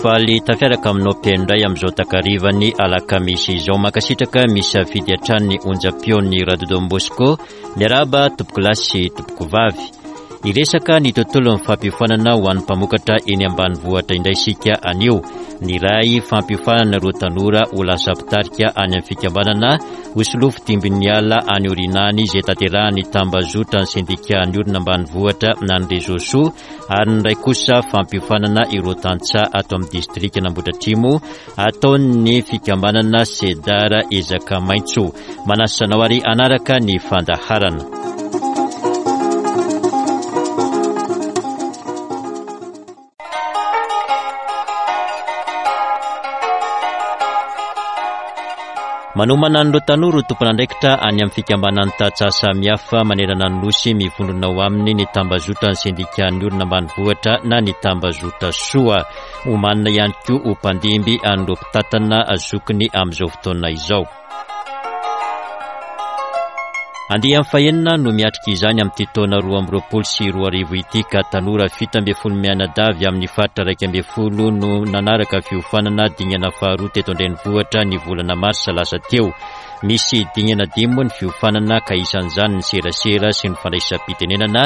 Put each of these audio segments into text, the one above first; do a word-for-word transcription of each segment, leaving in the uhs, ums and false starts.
Faly tafiaraka aminao mpihaino indray amin'izao takarivan'ny alakamisy izao. Mankasitraka misafidy hatrany ny onjam-peon'ny Radio Don Bosco. Miarahaba tompokolahy sy tompokovavy. Hiresaka ny tontolon'ny fampiofanana ho an'ny mpamokatra eny ambanivohitra indray isika anio. Ny iray fampiofanana ireo tanora ho lasa mpitarika any amin'ny fikambanana ho solofo dimbin'ny ala any aoriana any izay tanterahan'ny tambazotra ny sendikan'ny olona ambanivohitra na ny réseau soa, ary ny iray kosa fampiofanana ireo tantsaha ato amin'ny distrikan'Ambohidratrimo ataon'ny fikambanana Sedar Ezaka Maitso. Manasa anao ary hanaraka ny fandaharana. Manomana an'ireo tanora ho tompon'andraikitra any amin'ny fikambanan'ny tantsaha samihafa manerana ny nosy mivondrona ao aminy ny tambazotra ny sendikan'ny olona ambanivohitra na ny tambazotra soa. Omanina ihany koa ho mpandimby an'ireo mpitantana zokiny amin'izao fotoana izao. Andiany fahenina no miatrika izany amin'ity taona roa amby roapolo sy roa arivo ity ka tanora fito ambin'ny folo mianadahy avy amin'ny faritra iraika ambin'ny folo no nanaraka fiofanana dingana faharoa teto an-drenivohitra ny volana marsa lasa teo. Misy dingana dimy moa ny fiofanana ka isan'izany ny serasera sy ny fandraisam-pitenenana,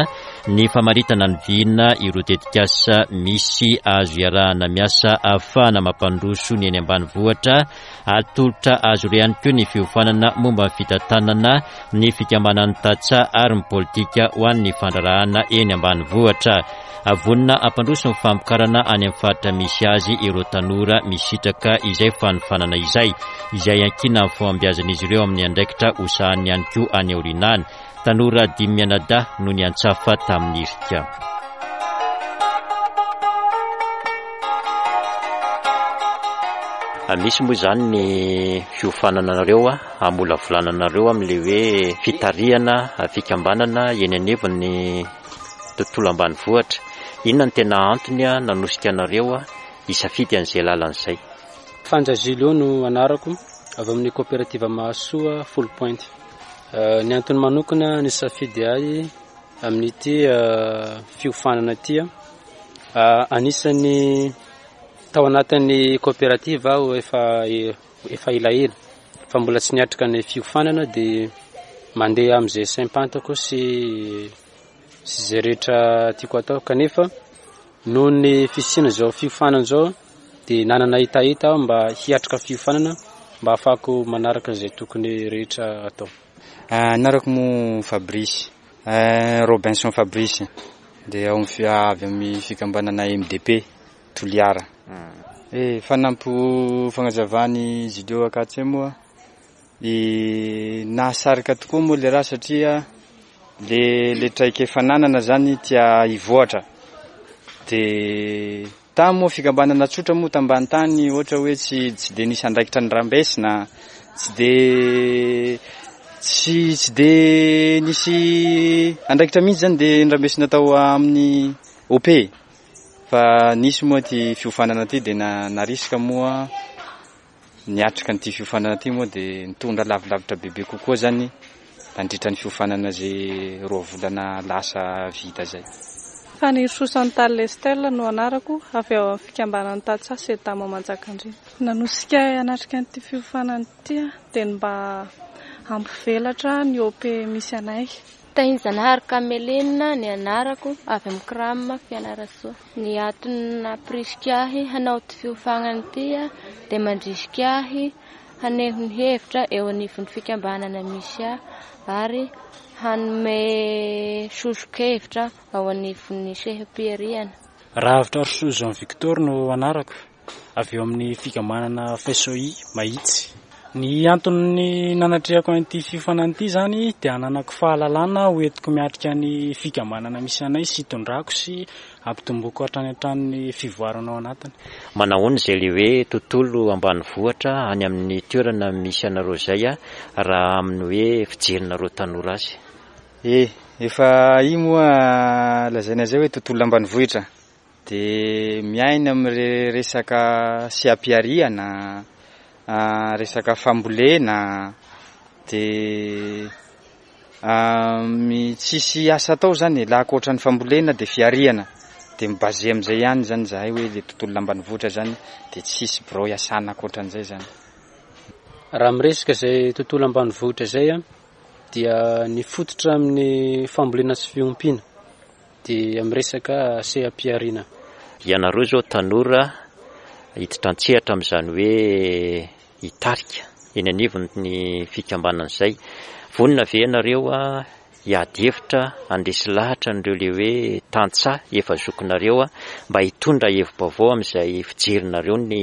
ny famaritana ny vina, ireo tetikasa misy azo iarahana miasa ahafahana mampandroso ny eny ambanivohitra, atolotra azo ireo ihany koa ny fiofanana momba ny fitantanana, ny fikambanan'ny tantsaha ary ny politika ho an'ny fandraharahana eny ambanivohitra. Vonona hampandroso ny famokarana any amin'ny faritra misy azy ireo tanora misitraka izay fanofanana izay, izay ankina amin'ny fahombiazan'izy ireo amin'ny andraikitra ho sahaniny ihany koa any aoriana any. Tanora dimy mianadahy no niantsafa tamin'ny hirika. Misy moa izany ny fiofanana anareo, hamolavolana anareo amin'ilay hoe fitarihana fikambanana eny anivon'ny tontolo ambanivohitra. Inona no tena antony nanosika anareo hisafidy an'izay lalana izay? Fanja Julio no anarako, avy amin'ny coopérative Mahasoa Foulpointe. Ny antony manokana nisafidy ahy amin'ity fiofanana ity, anisan'ny tao anatin'ny coopérative aho efa, efa elaela fa mbola tsy niatrika ny fiofanana, dia mandeha amin'izay saim-pantako sy, sy izay rehetra tiako atao, kanefa noho ny fisiana izao fiofanana izao dia nanana hetaheta aho mba hiatrika fiofanana mba ahafahako manaraka izay tokony rehetra atao. Anarako moa Fabrice, Robinson Fabrice, dia ao amin'ny avy amin'ny fikambanana M D P Toliara. Eh, fanampo fagnazavany Julio Akatse moa, eh, nahasarika tokoa moa le raha satria le, le traikefa nanana zany tia hivoatra. De tamy moa fikambanana tsotra moa tambany tany, ohatra hoe tsy, tsy de nisy andraikitra ny rambesina, tsy de, tsy, tsy de nisy andraikitra mihitsy zany de nirambesina tao amin'ny O P. Fa nisy moa ty fiofanana ty de na-, narisika moa niatrika an'ity fiofanana ty moa de nitondra lavilavitra bebe kokoa zany nandritra ny fiofanana zay roa volana lasa vita zay. Fanirisoa Chantal Estelle no anarako, avy ao amin'ny fikambanan'ny tantsaha Sedama Manjakandriana. Nanosika ahy hanatrika an'ity fiofanana ity dia ny mba hampivelatra ny O P misy anay. Tahinjanahary Kamelina ny anarako, avy amin'ny Kram Fianarantsoa. Ny antony nampirisika ahy hanao ity fiofanana ity dia mandrisika ahy haneho ny hevitra eo anivon'ny fikambanana misy ahy ary hanome soso-kevitra ao anivon'ny seha-pihariana. Rahavitrarosoa Jean Victor no anarako, avy eo amin'ny fikambanana F S O I Mahitsy. Ny antony nanatrehako an'ity fiofanana ity zany dia hananako fahalalana ho entiko miatrika ny fikambanana misy anay sy hitondrako sy hampitomboko hatrany hatrany ny fivoarana ao anatiny. Manahoana izay le hoe tontolo ambanivohitra any amin'ny toerana misy anareo izay a, raha amin'ny hoe fijerinareo tanora azy? Eh, efa io moa lazaina izay hoe tontolo ambanivohitra dia miaina amin'ny resaka seha-pihariana, ah, resaka fambolena, dia, ah, mi-, tsisy asa atao zany, laha ankoatra ny fambolena dia fihariana. De mi-basé amin'izay ihany zany zahay hoe le tontolo ambanivohitra zany de tsisy birao iasana ankoatran'izay zany. Raha miresaka izay tontolo ambanivohitra izay a, dia ny fototra amin'ny fambolena sy fiompiana dia amin'ny resaka seha-pihariana. Ianareo izao tanora hiditra an-tsehatra amin'izany hoe hitarika eny anivon'ny fikambanana izay. Vonona ve ianareo a hiady hevitra handresy lahatra an'ireo le hoe tantsaha efa zokinareo a mba hitondra hevi-baovao amin'izay fijerinareo ny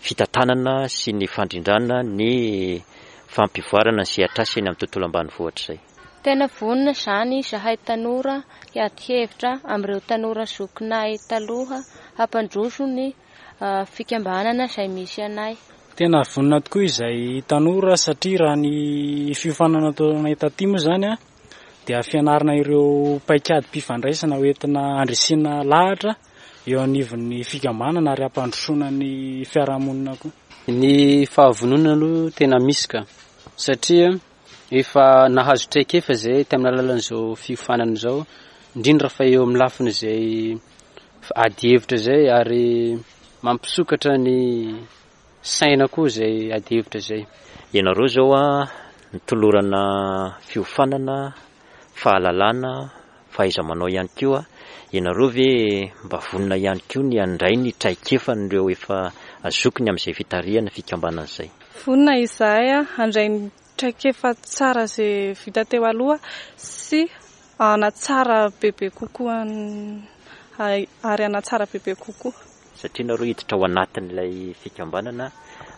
fitantanana sy ny fandrindrana ny fampivoarana ny sehatr'asa eny amin'ny tontolo ambanivohitra izay? Tena vonona izany izahay tanora hiady hevitra amin'ireo tanora zokinay taloha hampandroso ny fikambanana izay misy anay. Tena vonona tokoa izay tanora satria raha ny fiofanana ataonay taty moa zany a dia fianarana ireo paikady-pifandraisana hoentina handresena lahatra eo anivon'ny fikambanana ary hampandrosoana ny fiarahamonina koa. Ny fahavononana aloha tena misy ka, satria efa nahazo traikefa zay tamin'ny alalan'izao fiofanana izao, indrindra fa eo amin'ny lafiny izay ady hevitra izay ary mampisokatra ny saina koa izay ady hevitra izay. Ianareo izao a nitolorana fiofanana, fahalalana, fahaiza-manao ihany koa. Ianareo ve mba vonona ihany koa ny handray ny traikefan'ireo efa zokiny amin'izay fitarihana fikambanana izay? Vonona izahay a handray ny traikefa tsara izay vita teo aloha sy hanatsara bebe kokoa ary hanatsara bebe kokoa. Satria nareo hiditra ao anatin'ilay fikambanana,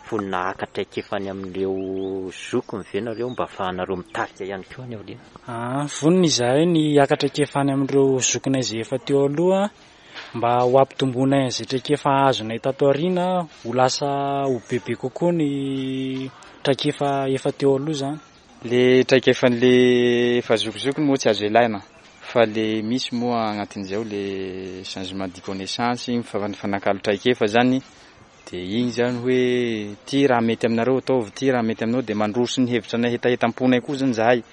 vonona haka traikefa any amin'ireo zokiny ve nareo mba ahafahanareo mitarika ihany koa any aoriana? Ah, vonona izahay ny haka traikefa any amin'ireo zokinay izay efa teo aloha mba ho ampitomboinay an'izay traikefa azonay tato aoriana ho lasa ho bebe kokoa ny traikefa efa teo aloha zany. Le traikefan'le efa zokizokiny moa tsy azo ilaina fa le misy moa agnatin'izay ao le changement de connaissance, mifanakalo traikefa zany. De igny zany hoe ty raha mety aminareo ataovy, ty raha mety aminao, de mandroso ny hevitra anay hetahetam-ponay koa zany zahay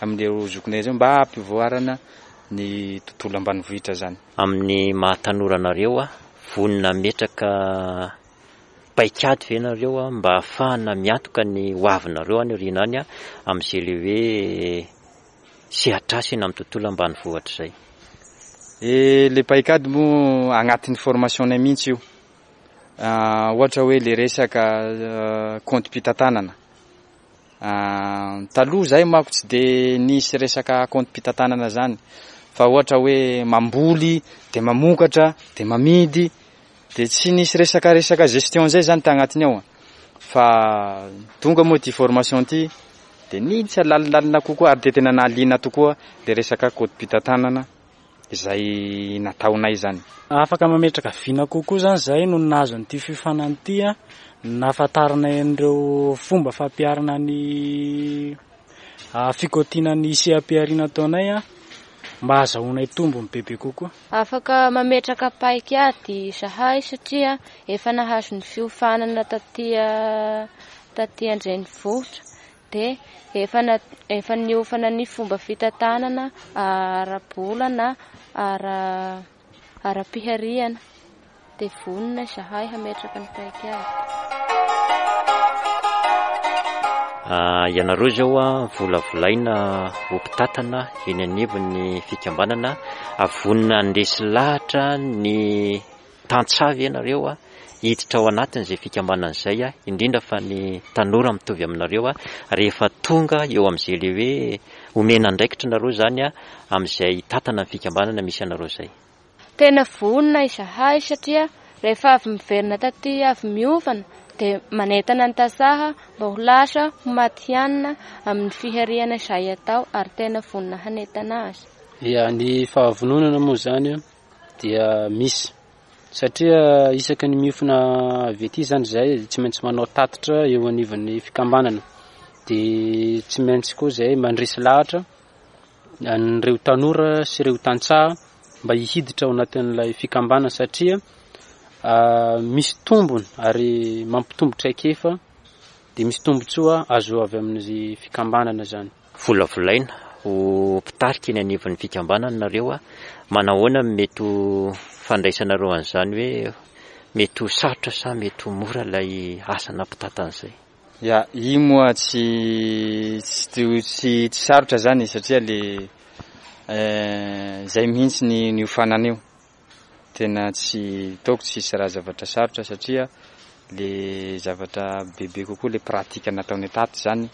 amin'ireo zokinay zay mba hampivoarana ny tontolo ambanivohitra zany. Amin'ny maha tanora anareo a, vonona hametraka paikady ve nareo a mba ahafahana miantoka ny hoavinareo any aoriana any a amin'izay le hoe sehatr'asa eny amin'ny tontolo ambanivohitra izay? E, le paikady moa agnatin'ny formation-nay mihitsy io. Ah, ohatra hoe le resaka compte mpitantanana. Ah, taloha zahay manko tsy de nisy resaka compte mpitantanana zany, fa ohatra hoe mamboly de mamokatra de mamidy, de tsy nisy resaka resaka gestion zay zany tagnatiny ao. Fa tonga moa ty formation ty de niditra lalindalina kokoa ary de tena nahaliana tokoa le resaka compte mpitantanana izay nataonay zany. Afaka mametraka vina kokoa zany zahay no nahazo an'ity fiofanana ity a, nahafantaranay an'ireo fomba fampiharana ny fikaotiana ny seha-pihariana ataonay a mba ahazoanay tombony bebe kokoa. Afaka mametraka paikady izahay satria efa nahazo ny fiofanana taty taty an-drenivohitra de efa na, efa niofana ny fomba fitantanana ara-bola na ara, ara-pihariana, de vonona izahay hametraka ny paikady. Ah, ianareo izao a volavolaina ho mpitatana eny anivon'ny fikambanana, vonona handresy lahatra ny tantsaha ve ianareo a hiditra ao anatin'izay fikambanana izay a, indrindra fa ny tanora mitovy aminareo a, rehefa tonga eo amin'izay le hoe omena andraikitra nareo zany a amin'izay hitatana ny fikambanana misy anareo izay? Tena vonona izahay satria rehefa avy miverina taty avy miofana de manentana ny tantsaha mba ho lasa ho matihanina amin'ny fihariana izay atao ary tena vonona hanentana azy. Ia, ny fahavononana moa zany a dia misy satria isaky ny miofona avy aty zany zahay tsy maintsy manao tatitra eo anivon'ny fikambanana, de tsy maintsy koa zahay mandresy lahatra an'ireo tanora sy ireo tantsaha mba hihiditra ao anatin'ilay fikambanana satria misy tombony ary mampitombo traikefa, de misy tombontsoa azo avy amin'ny fikambanana zany. Volavolaina ho ho mpitarika eny anivon'ny fikambanana nareo a, manahoana no mety ho fandraisanareo an'izany hoe mety ho sarotra sa mety ho mora ilay asana mpitantana izay? Ya, io moa tsy tsy tsy tsy sarotra zany satria le zay mihitsy ny niofanana io. Tena tsy taoko tsisy raha zavatra sarotra satria le zavatra bebe kokoa le pratique nataonay tato zany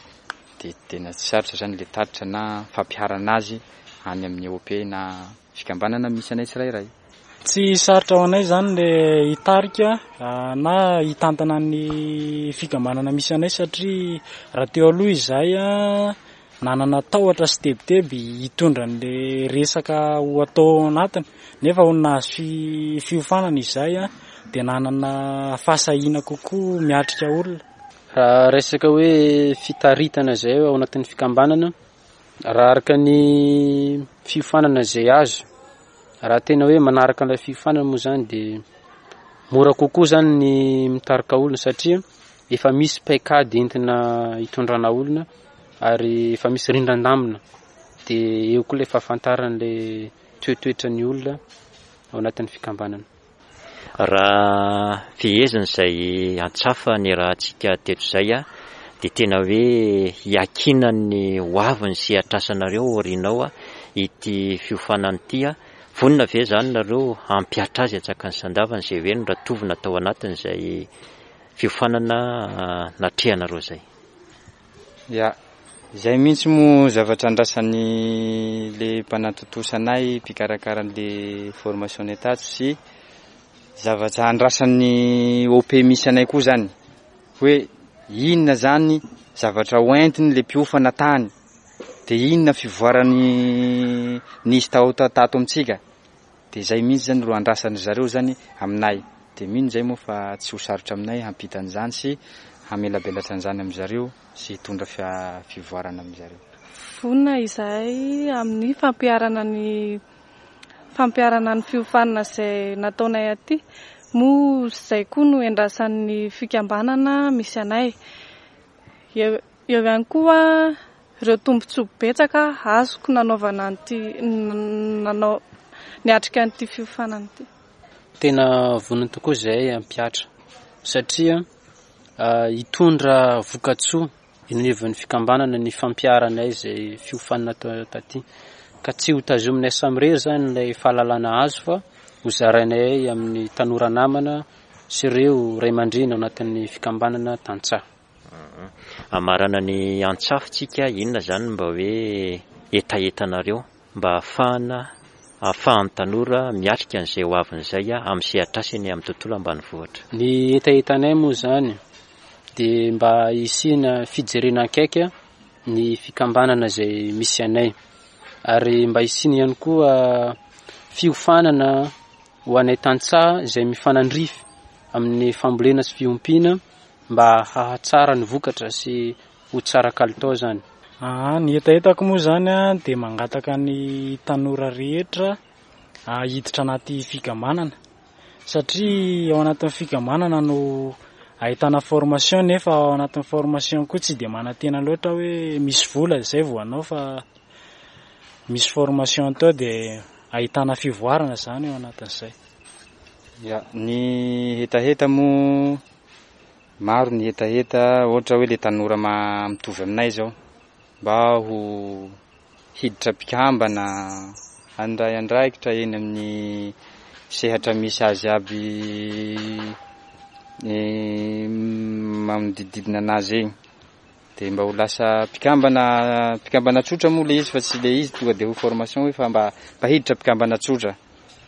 de tena tsy sarotra zany le tatitra na fampiharana azy any amin'ny O P na fikambanana misy anay tsirairay. Tsy sarotra ho anay zany le hitarika na hitantana ny fikambanana misy anay satria raha teo aloha izahay a nanana tahotra sy tebiteby hitondra an'le resaka ho atao ao anatiny, nefa ho nahazo fi-, fiofanana izahay a dia nanana fahasahiana kokoa miatrika olona. Raha resaka hoe fitaritana izay ao anatin'ny fikambanana, raha araka ny fiofanana izay azo, raha tena hoe manaraka an'ilay fiofanana moa zany dia mora kokoa zany ny mitarika olona satria efa misy paikady entina hitondrana olona ary efa misy rindran-damina, dia eo koa ilay fahafantaran'ilay toetoetran'ny olona ao anatin'ny fikambanana. Raha fehezina izay antsafa ny rahantsika teto izay a, dia tena hoe hiakinan'ny ho avin'ny sehatrasanareo aorianao a ity fiofanana ity a. Vonona ve zany nareo hampihatra azy antsakany sy andavany izay hoe noratovina tao anatin'izay fiofanana natrehanareo izay? Ya, izay mihitsy moa zavatra andrasan'ny le mpanatontosa anay mpikarakara an'le formation tato sy zavatra andrasan'ny O P misy anay koa zany hoe inona zany zavatra hoentiny le mpiofana tany, de inona fivoarany nisy tao ta-, tato amintsika, de zay mihitsy zany ro andrasan'ny zareo zany aminay, de mino zay moa fa tsy ho sarotra aminay hampita an'izany sy hamelabelatra an'izany amin'ny zareo sy hitondra fia-, fivoarana amin'ny zareo. Vonona izahay amin'ny fampiharana ny fampiharana ny fiofanana izay nataonay aty, moa izay koa no endrasan'ny fikambanana misy anay. Eo, eo ihany koa ireo tombontsoa betsaka azoko nanaovana an'ity, nanao, niatrika an'ity fiofanana ity. Tena vonona tokoa izahay hampihatra satria, ah, hitondra vokatsoa eny anivon'ny fikambanana ny fampiharanay izay fiofanana tao taty, ka tsy ho tazominay samirery zany ilay fahalalana azo fa ho zarainay amin'ny tanora namana sy ireo ray aman-dreny ao anatin'ny fikambanana tantsaha. Amarana ny antsafotsika, inona zany mba hoe hetahetanareo mba ahafahana, ahafahan'ny tanora miatrika an'izay ho avin'izay a, amin'ny sehatrasany amin'ny tontolo ambanivohitra? Ny hetahetanay moa zany dia mba hisiana fijerena akaiky ny fikambanana izay misy anay, ary mba hisiana ihany koa fiofanana ho anay tantsaha izay mifanandrify amin'ny fambolena sy fiompiana mba hahatsara ny vokatra sy ho tsara kalitao zany. Ah, ny hetahetako moa zany a, dia mangataka ny tanora rehetra, ah, hiditra anaty fikambanana, satria ao anatin'ny fikambanana no ahitana formation, nefa ao anatin'ny formation koa tsy dia manantena loatra hoe misy vola izay vao hanao, fa misy formation tao dia ahitana fivoarana zany ao anatin'izay. Ya, ny hetaheta moa maro ny hetaheta, ohatra hoe le tanora ma-, mitovy aminay zao mba ho hiditra mpikambana, handray andraikitra eny amin'ny sehatra misy azy aby, eh, manodidididina anazy eny, de mba ho lasa mpikambana, mpikambana tsotra moa le izy fa tsy le izy tonga de ho formation hoe fa mba, mba hiditra mpikambana tsotra,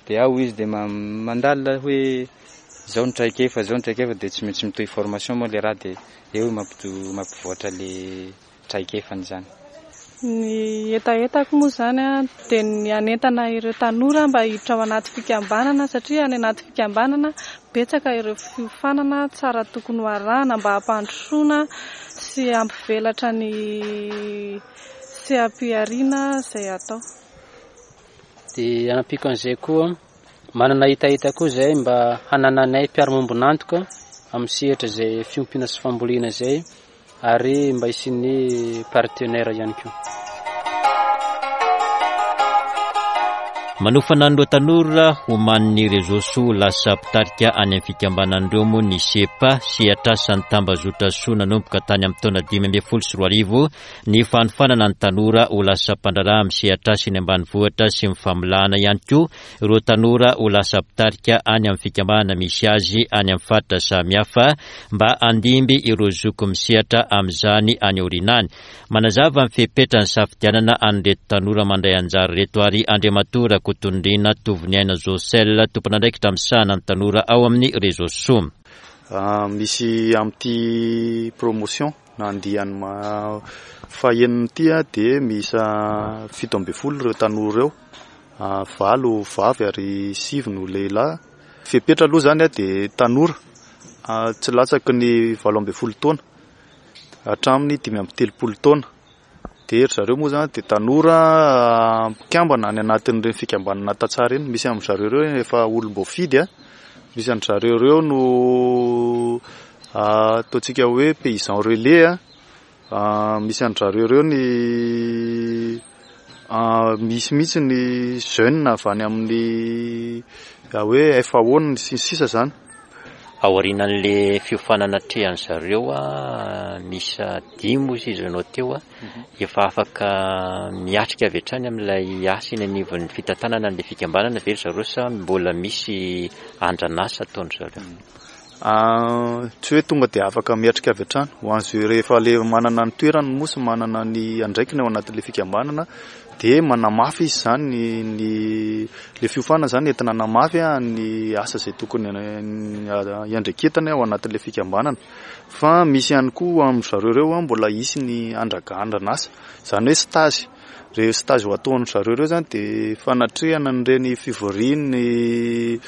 de ao izy de ma-, mandalina hoe zao ny traikefa, zao ny traikefa, de tsy maintsy mitohy formation moa le raha, de eo mampito-, mampivoatra le traikefany zany. Ny hetahetako moa zany a, dia ny hanentana ireo tanora mba hiditra ao anaty fikambanana, satria any anaty fikambanana betsaka ireo fiofanana tsara tokony ho arahana mba hampandrosoana sy hampivelatra ny seha-pihariana izay atao. Dia hanampiko an'izay koa, manana hetaheta koa izay mba hanananay mpiara-miombon'antoka amin'ny sehatra izay fiompiana sy fambolena izay, ary mba hisian'ny partenaire ihany koa. Manofana an'ireo tanora homanin'ny Réseau Soa lasa mpitarika any amin'ny fikambanan'ireo moa ny SEPA, sehatr'asan'ny tambazotra soa nanomboka tany amin'ny taona dimy ambin'ny folo sy roa arivo ny fanofanana ny tanora ho lasa mpandraharaha amin'ny sehatr'asa eny ambanivohitra sy ny famolahana ihany koa ireo tanora ho lasa mpitarika any amin'ny fikambanana misy azy any amin'ny faritra samihafa mba handimby ireo zoky misehatra amin'izany any aoriana any. Manazava ny fepetra ny safidianana an'ireto tanora mandray anjara ireto ary Andriamatoa Rakotonirina Tovoniaina Josel, tompon'andraikitra misahana ny tanora ao amin'ny Réseau Soa. Misy amin'ity promotion na andiany fahenina ity dia miisa fito ambin'ny folo ireo tanora ireo, valo vavy ary sivy no lehilahy. Fepetra aloha izany dia tanora tsy latsaky ny valo ambin'ny folo taona hatramin'ny dimy amby telopolo taona. Dia ry zareo moa izany dia tanora mpikambana any anatin'ireny fikambanana tantsaha ireny. Misy amin-dry zareo ireo efa olom-boafidy, misy amin-dry zareo ireo no ataontsika hoe paysan relais, misy amin-dry zareo ireo ny misy mihitsy ny jeune avy any amin'ny hoe F A O sy ny sisa izany. Aorianan'le fiofanana atrehan'ny zareo a, misy dimy ozy izy ianao teo a, efa afaka miatrika avy hatrany amin'ilay asa eny anivon'ny fitantanana an'ilay fikambanana ve ry zareo sa mbola misy andranasa ataon-dry zareo? Tsy hoe tonga dia afaka miatrika avy hatrany. Ho an'izay rehefa le manana ny toerany moa sy manana ny andraikiny ao anatin'ilay fikambanana dia manamafy izy izany ny, ny le fiofanana izany entina hanamafy ny asa izay tokony hiandraiketany ao anatin'ilay fikambanana. Fa misy ihany koa amin-dry zareo ireo mbola hisy ny andragandranasa, izany hoe stage. Ireo stage ho ataon-dry zareo ireo izany dia fanatrehana an'ireny fivorian'ny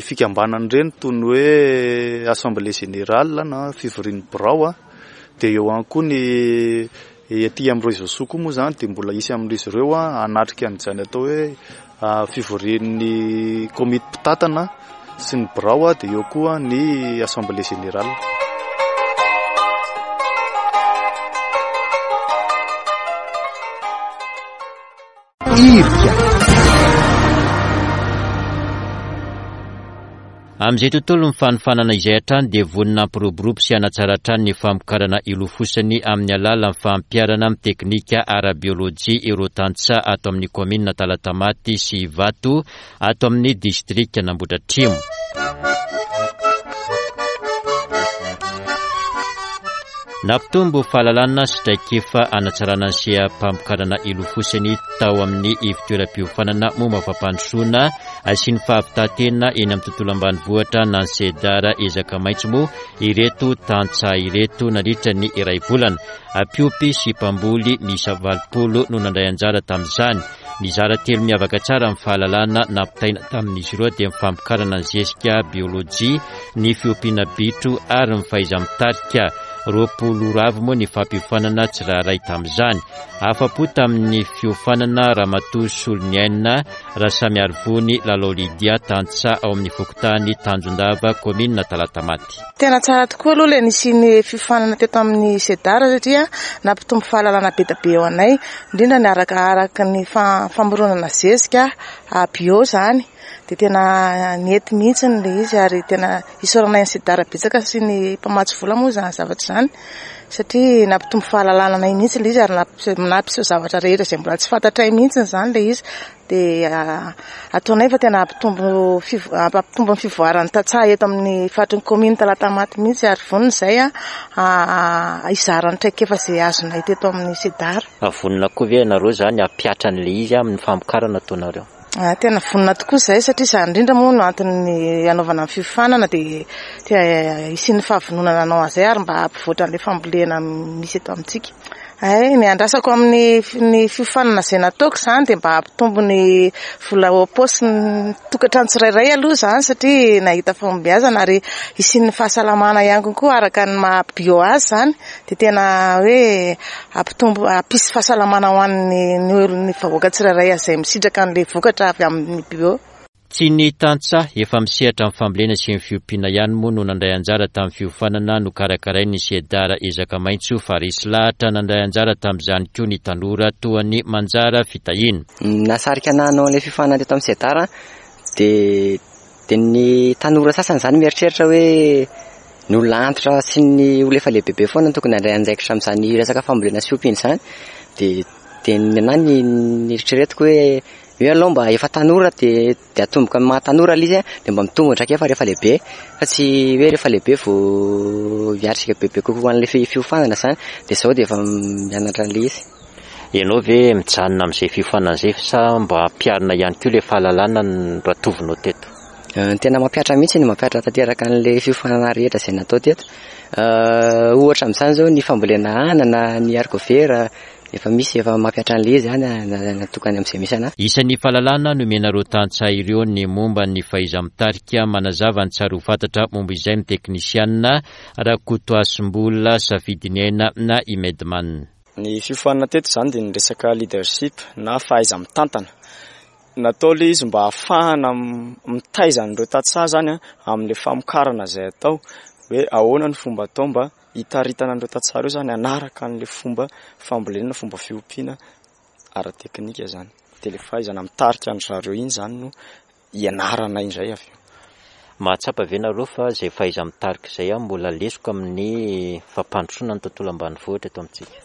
fikambanana ireny toy ny hoe assemblée générale na fivorian'ny birao. Dia eo ihany koa ny aty amin'ny Réseau Soa koa moa izany dia mbola hisy amin'izy ireo hanatrika an'izany atao hoe fivorian'ny komity mpitantana sy ny birao, dia eo koa ny assemblée générale. Irika. Amin'izay tontolo ny fanofanana izay hatrany dia vonona hampiroborobo sy hanatsara hatrany ny famokarana ilofosany amin'ny alalan'ny fampiharana amin'ny teknika ara-biolojia ireo tantsaha ato amin'ny kaominina Talatamaty sy Ivato ato amin'ny distrika Nambodratrimo. Nampitombo fahalalana sy traikefa hanatsarana ny seha-pamokarana ilofosany tao amin'ny ivon-toeram-piofanana momba fampandrosoana sy ny fahavitantena eny amin'ny tontolo ambanivohitra na ny SEDAR ezaka maitso moa ireto tantsaha ireto nandritra ny iray volana. Mpiompy sy mpamboly miisa valopolo no nandray anjara tamin'izany. Nizara telo miavaka tsara amin'ny fahalalana nampitaina tamin'izy ireo dia ny famokarana ny zezika biolojia, ny fiompiana bitro ary ny fahaiza-mitarika. Roapolo ora avy moa ny fampiofanana tsirairay tamin'izany. Afa-po tamin'ny fiofanana Ramatoa Soloniaina Rasamiarivony Lalao Lydia tantsaha ao amin'ny fokontany Tanjondava, kaominina Talatamaty. Tena tsara tokoa aloha ilay nisian'ny fiofanana teto amin'ny SEDAR satria nampitombo fahalalana be dia be ho anay, indrindra ny arakaraka ny fa-, famoronana zezika bio izany. Dia tena nety mihitsy ilay izy ary tena isaoranay ny SEDAR betsaka sy ny mpamatsy vola moa izany zavatra izany satria nampitombo fahalalana anay mihitsy ilay izy ary nampiseho, nampiseho zavatra rehetra izay mbola tsy fantatray mihitsy izany ilay izy. Dia ataonay fa tena hampitombo fivo-, hampitombo ny fivoaran'ny tantsaha eto amin'ny faritry ny kaominina Talatamaty mihitsy ary vonona izay a, hizara ny traikefa izay azonay teto amin'ny SEDAR. Vonona koa ve ianareo izany hampihatra an'ilay izy amin'ny famokarana ataonareo? Ah, tena vonona tokoa izahay satria izany indrindra moa no antony hanaovana ny fiofanana dia te hisian'ny fahavononana hanao an'izay ary mba hampivoatra an'ilay fambolena misy eto amintsika. Ay, ny andrasako amin'ny fi-, ny fiofanana izay nataoko izany dia mba hampitombo ny vola ao am-paosin'ny tokantrano tsirairay aloha izany satria nahita fahombiazana ary hisian'ny fahasalamana ihany koa araka ny maha bio azy izany dia tena hoe hampitombo, hampisy fahasalamana ho an'ny, ny olona, ny vahoaka tsirairay izay misitraka an'ilay vokatra avy amin'ny bio. Tsy ny tantsaha efa misehatra amin'ny fambolena sy ny fiompiana ihany moa no nandray anjara tamin'ny fiofanana nokarakarain'ny SEDAR Ezaka Maitso, fa resy lahatra nandray anjara tamin'izany koa ny tanora toa ny Manjara Fitahiana. Nasarika nanao ilay fiofanana teto amin'ny SEDAR dia dia ny tanora sasany izany mieritreritra hoe ny olona antitra sy ny olona efa lehibebe foana no tokony handray andraikitra amin'izany resaka fambolena sy fiompiana izany. Dia dia ny anahy ny nieritreretiko hoe hoe aloha mba efa tanora dia dia atomboka amin'ny maha tanora ilay izy dia mba mitombo traikefa rehefa lehibe, fa tsy hoe rehefa lehibe vao hiatrika bebe kokoa an'ilay fiofanana izany. Dia izao dia efa mianatra an'ilay izy. Ianao ve mijanona amin'izay fiofanana izay sa mba ampiharina ihany koa ilay fahalalana noratovinao teto? Ny tena mampihatra mihitsy ny mampihatra tanteraka an'ilay fiofanana rehetra izay natao teto. Ohatra amin'izany izao ny fambolena anana, ny haricots verts, efa misy efa mampihatra an'ilay izy any natokany amin'izay misy anahy. Isan'ny fahalalana nomena ireo tantsaha ireo ny momba ny fahaiza-mitarika. Manazava ny tsara ho fantatra momba izay ny teknisianina Rakotoasimbola Safidiniaina na Imedman. Ny fiofanana teto izany dia ny resaka leadership na fahaiza-mitantana. Natao ilay izy mba ahafahana mitaiza an'ireo tantsaha izany amin'ilay famokarana izay atao, hoe ahoana ny fomba atao mba hitaritana an'ireo tantsaha ireo izany hanaraka an'ilay fomba fambolena, fomba fiompiana ara-teknika izany. Dia ilay fahaizana mitarika an-dry zareo iny izany no ianarana indray avy eo. Mahatsapa ve nareo fa izay fahaiza-mitarika izay mbola lesoka amin'ny fampandrosoana ny tontolo ambanivohitra eto amintsika?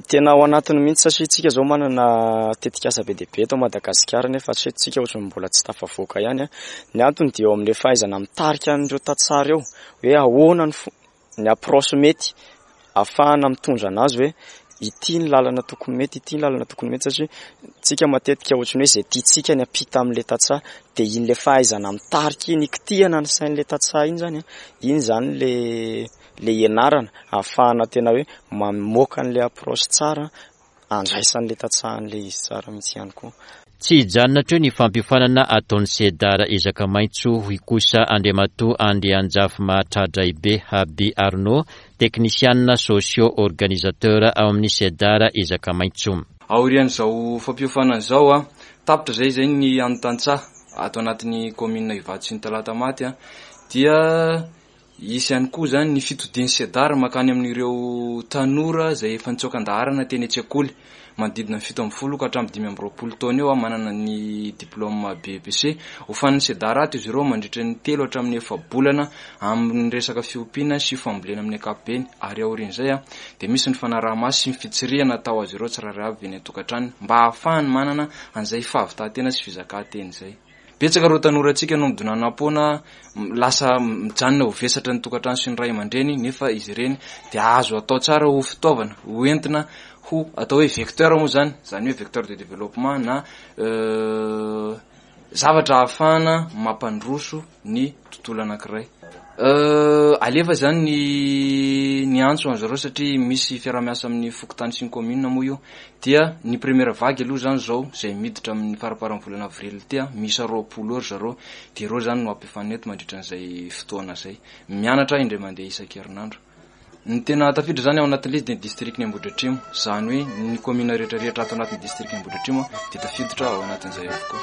Tena ao anatiny mihitsy satria tsika izao manana tetikasa be dia be eto Madagasikara nefa hatreto tsika ohatran'ny mbola tsy tafavoaka ihany. Ny antony dia eo amin'ilay fahaizana mitarika an'ireo tantsaha ireo, hoe ahoana ny fo-, ny approche mety ahafahana mitondra anazy hoe ity ny lalana tokony mety, ity ny lalana tokony mety, satria tsika matetika ohatran'ny hoe izay tiantsika ny ampita amin'ilay tantsaha dia iny ilay fahaizana mitarika iny, ikitihana ny sain'ilay tantsaha iny izany, iny izany ilay ilay ianarana ahafahana tena hoe mamoaka an'ilay approche tsara andraisan'ilay tantsaha an'ilay izy tsara mihitsy ihany koa. Tsy hijanona hatreo ny fampiofanana ataon'ny SEDAR Ezaka Maitso, hoy kosa Andriamatoa Andrianjafy Mahatradraibe Habi Arnaud, teknisianina socio-organisateur ao amin'ny SEDAR Ezaka Maitso. Aorian'izao fampiofanana izao, a, tapitra izay izay ny an'ny tantsaha ato anatin'ny commune Ivato sy ny Talatamaty, a, dia hisy ihany koa izany ny fitodian'ny SEDAR mankany amin'ireo tanora izay efa nitsoaka an-daharana teny an-tsekoly manodidina ny fito ambin'ny folo ka hatramin'ny dimy amby roapolo taona eo, a, manana ny diplôme B E P C. Hofanin'ny SEDAR ato izy ireo mandritra ny telo hatramin'ny efa-bolana amin'ny resaka fiompiana sy fambolena amin'ny ankapobeny, ary aorian'izay, a, dia misy ny fanaraha-maso sy ny fitsirihana atao azy ireo tsirairay avy eny an-tokantrano mba ahafahany manana an'izay fahavitantena sy fizakantena izay. Betsaka ireo tanorantsika no midonanam-poana, lasa mijanona ho vesatra ny tokantrano sy ny ray aman-dreny, nefa izy ireny dia azo atao tsara ho fitaovana, ho entina ho atao hoe vecteur moa izany, izany hoe vecteur de développement na, euh, zavatra ahafahana mampandroso ny tontolo anankiray. Euh, alefa izany ny, ny antso an'izareo zareo satria misy fiaraha-miasa amin'ny fokontany sy ny commune moa io, dia ny première vague aloha izany izao izay miditra amin'ny faramparan'ny volana avril ity, a, miisa roapolo eo ry zareo, dia ireo izany no ampifanina eto mandritra an'izay fotoana izay. Mianatra indray mandeha isan-kerinandro. Ny tena tafiditra izany ao anatin'ilay izy dia ny district-n'i Ambohidratrimo, izany hoe ny commune rehetrarehetra ato anatin'ny district-n'i Ambohidratrimo dia tafiditra ao anatin'izay avokoa.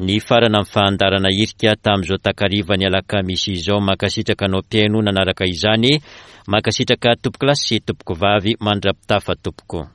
Ny farana amin'ny fahandarana hirika tamin'izao takariva ny alakamisy izao. Mankasitraka anao mpihaino nanaraka izany. Mankasitraka tompoko lahy sy tompoko vavy, mandra-pitafa tompoko.